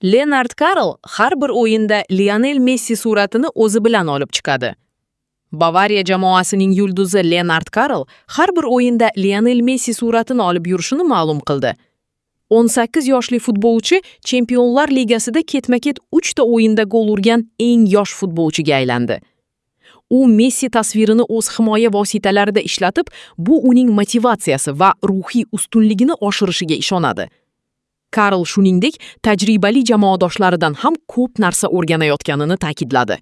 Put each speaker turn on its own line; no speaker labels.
Lennart Karl har bir o'yinda Lionel Messi suratini o'zi bilan olib chiqadi. Bavariya jamoasining yulduzi Lennart Karl har bir o'yinda Lionel Messi suratini olib yurishini ma'lum qildi. 18 yoshli futbolchi Chempionlar Ligasida ketma-ket 3 ta o'yinda gol urgan eng yosh futbolchiga aylandi. U Messi tasvirini o'z himoya vositalarida ishlatib, bu uning motivatsiyasi va ruhiy ustunligini oshirishiga ishonadi. Karl shuningdek, tajribali jamoadoshlaridan ham ko'p narsa o'rganayotganini ta'kidladi.